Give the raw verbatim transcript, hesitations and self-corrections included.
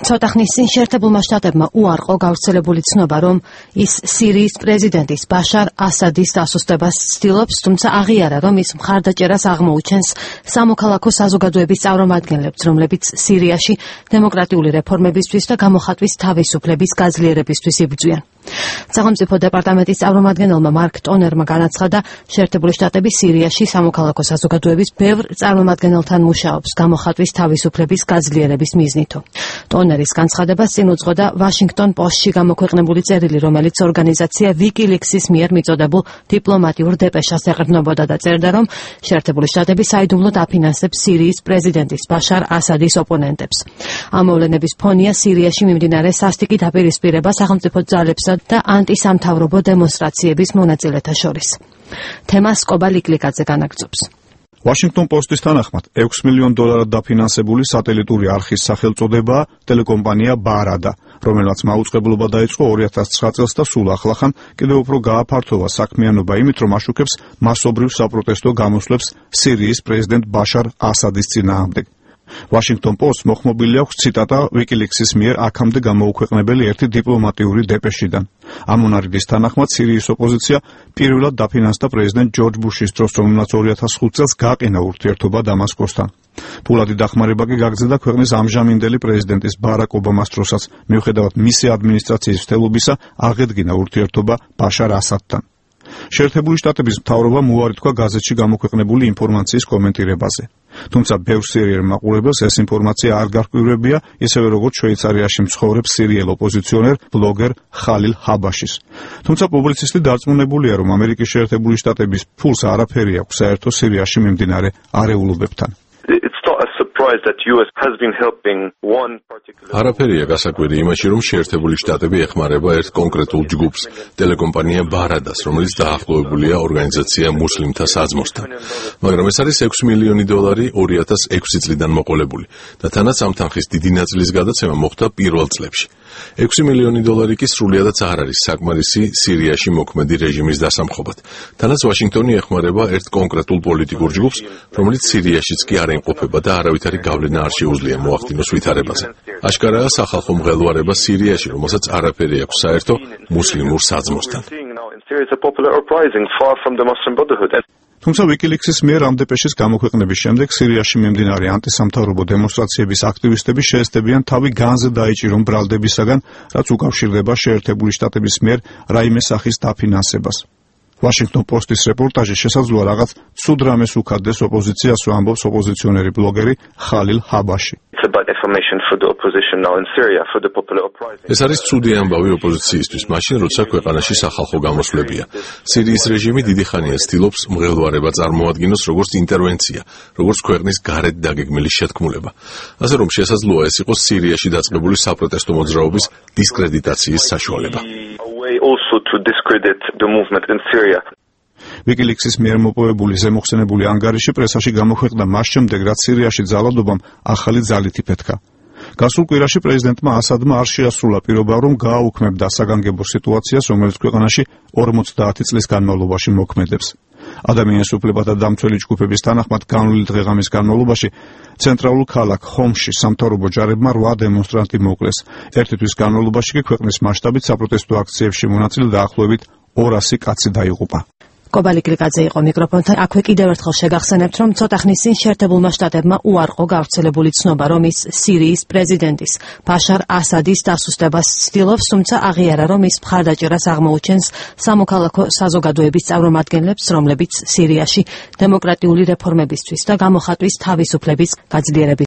ცოტა ხნის წინ შეერთებულმა შტატებმა უარყო გავრცელებული ცნობა, რომ ის სირიის პრეზიდენტის ბაშარ ასადის დასუსტებას ცდილობს, თუმცა აღიარა, რომ ის მხარდაჭერას აღმოუჩენს სამოქალაქო საზოგადოების წარმომადგენლებს, რომლებიც სირიაში დემოკრატიული რეფორმებისთვის და გამოხატვის თავისუფლების გაძლიერებისთვის იბრძვიან. სახელმწიფო დეპარტამენტის წარმომადგენელმა მარკ ტონერმა განაცხადა, შეერთებული შტატები სირიაში სამოქალაქო საზოგადოების ბევრ წარმომადგენელთან მუშაობს გამოხატვის თავისუფლების გაძლიერების მიზნითო. ტონერის განცხადებას წინ უძღოდა ვაშინგტონ პოსტში გამოქვეყნებული წერილი, რომელიც ორგანიზაცია ვიკილიქსის მიერ მიწოდებულ დიპლომატიურ დეპეშას ეყრდნობოდა და წერდა, რომ შეერთებული შტატები საიდუმლოდ აფინანსებს სირიის პრეზიდენტის ბაშარ ასადის ოპონენტებს. ამ მოვლენების ფონია სირიაში მიმდინარე სასტიკი დაპირისპირება სახელმწიფო ძალებსა და ანტისამთავრობო დემონსტრაციების მონაწილეთა შორის. თემას კობა ლიკლიკაძე განაგრძობს. Washington Post-ის თანახმად ექვს მილიონ დოლარად დაფინანსებული სატელიტური არხის სახელწოდებაა ტელეკომპანია ბარადა, რომელმაც მაუწყებლობა დაიწყო ორი ათას ცხრა წელს და სულ ახლახან კიდევ უფრო გააფართოვა საქმიანობა იმით, რომ აშუქებს მასობრივ საპროტესტო გამოსვლებს სირიის პრეზიდენტ ბაშარ ასადის წინააღმდეგ. Washington Post მოხმობილი აქვს ციტატა ვიკილიქსის მიერ აქამდე გამოუქვეყნებელი ერთი დიპლომატიური დეპეშიდან. ამ მონარქის თანახმად სირიის ოპოზიცია პირველად დაფინანსდა პრეზიდენტ ჯორჯ ბუშის დროს, რომელმაც ორი ათას ხუთ წელს გაყინა ურთიერთობა დამასკოსთან. ფულადი დახმარება კი გაგზავნა ქვეყნის ამჟამინდელი პრეზიდენტის ბარაკ ობამას დროსაც, მიუხედავად მისი ადმინისტრაციის მცდელობისა, აღედგინა ურთიერთობა ბაშარ ასადთან. შეერთებული შტატების მთავრობამ უარი თქვა გაზეთში გამოქვეყნებული ინფორმაციის კომენტირებაზე. თუმცა ბევრ სირიელ მაყურებელს ეს ინფორმაცია არ გარკვევებია, ისევე როგორც შვეიცარიაში მცხოვრებ სირიელ ოპოზიციონერ ბლოგერ ხალილ ჰაბაშის. თუმცა პუბლიცისტი დარწმუნებულია, რომ ამერიკის შეერთებული შტატების ფულს არაფერი აქვს საერთო სირიაში მიმდინარე არეულობებთან. არაფერია გასაკვირი იმაში, რომ შეერთებული შტატები ეხმარება ერთ კონკრეტულ ჯგუფს, ტელეკომპანია ბარადას, რომელიც დაახლოებულია ორგანიზაცია მუსლიმთა საძმოსთან. მაგრამ ეს არის ექვს მილიონი დოლარი ორი ათას ექვსი წლიდან მოყოლებული და თანაც ამ თანხის დიდი ნაწილის გადაცემა მოხდა პირველ წლებში. ექვსი მილიონი დოლარი კი სრულიადაც არ არის საკმარისი სირიაში მოქმედი რეჟიმის დასამხობად. თანაც ვაშინგტონი ეხმარება ერთ კონკრეტულ პოლიტიკურ ჯგუფს, რომელიც სირიაშიც კი არ იმყოფება და არავითარი გავლენა არ შეუძლია მოახდინოს ვითარებაზე. აშკარაა სახალხო მღელვარება სირიაში, რომელსაც არაფერი აქვს საერთო მუსლიმურ საძმოსთან. თუმცა ვიკილიქსის მიერ ამ დეპეშის გამოქვეყნების შემდეგ სირიაში მიმდინარე ანტისამთავრობო დემონსტრაციების აქტივისტები შეესწებიან თავი განზე დაიჭირონ ბრალდებისაგან, რაც უკავშირდება შეერთებული შტატების მიერ რაიმე სახის დაფინანსებას. Washington Post-ის რეპორტაჟი შესაძლოა რაღაც ცუდ რამეს უქადდეს ოპოზიციას, ამბობს ოპოზიციონერი ბლოგერი ხალილ ჰაბაში. ეს არის ცუდი ამბავი ოპოზიციისთვის, მაშინ როცა ქვეყანაში სახალხო გამოსვლებია. სირიის რეჟიმი დიდი ხანია ცდილობს მღელვარება წარმოადგინოს როგორც ინტერვენცია, როგორც ქვეყნის გარეთ დაგეგმილი შეთქმულება. ასე რომ შესაძლოა ეს იყოს სირიაში დაწყებული საპროტესტო მოძრაობის დისკრედიტაციის საშუალება. ვიკილიქსის მიერ მოპოვებული ზემოხსენებული ანგარიში პრესაში გამოქვეყნდა მას შემდეგ, რაც სირიაში ძალადობამ ახალი ძალით იფეთქა. გასულ კვირაში პრეზიდენტმა ასადმა არ შეასრულა პირობა, რომ გააუქმებდა საგანგებო სიტუაციას, რომელიც ქვეყანაში ორმოცდაათი წლის განმავლობაში მოქმედებს. ადამიანის უფლებათა დამცველი ჯგუფების თანახმად განვლილი დღეღამის განმავლობაში ცენტრალურ ქალაქ ხომში სამთავრობო ჯარებმა რვა დემონსტრანტი მოკლეს. ერთი თვის განმავლობაში კი ქვეყნის მასშტაბით საპროტესტო აქციებში მონაწილე დაახლოებით ორასი კაცი დაიღუპა. კობა ლიკლიკაძე იყო მიკროფონთან. აქვე კიდევ ერთხელ შეგახსენებთ, რომ ცოტა ხნის წინ შეერთებულმა შტატებმა უარყო გავრცელებული ცნობა, რომ ის სირიის პრეზიდენტის ბაშარ ასადის დასუსტებას ცდილობს, თუმცა აღიარა, რომ ის მხარდაჭერას აღმოუჩენს სამოქალაქო საზოგადოების წარმომადგენლებს, რომლებიც სირიაში დემოკრატიული რეფორმებისთვის და გამოხატვის თავისუფლების გაძლიერების